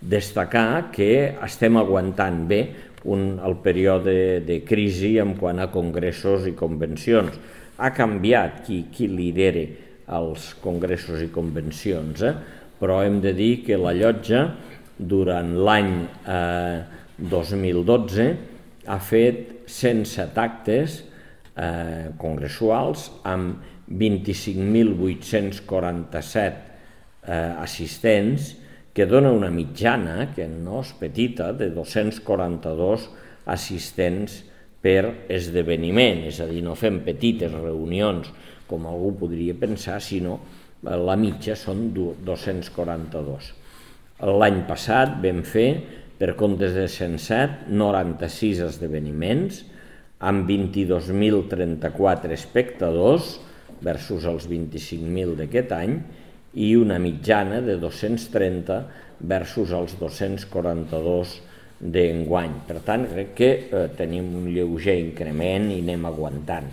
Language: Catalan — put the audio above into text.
destacar que estem aguantant bé el període de crisi en quant a congressos i convencions. Ha canviat qui lidera els congressos i convencions, però hem de dir que la llotja durant l'any 2012 ha fet 107 actes congressuals amb 25.847 assistents, que dona una mitjana, que no és petita, de 242 assistents per esdeveniment, és a dir, no fem petites reunions com algú podria pensar, sinó la mitja són 242. L'any passat vam fer, per comptes de 107, 96 esdeveniments, amb 22.034 espectadors versus els 25.000 d'aquest any, i una mitjana de 230 versus els 242 d'enguany. Per tant, crec que tenim un lleuger increment i anem aguantant.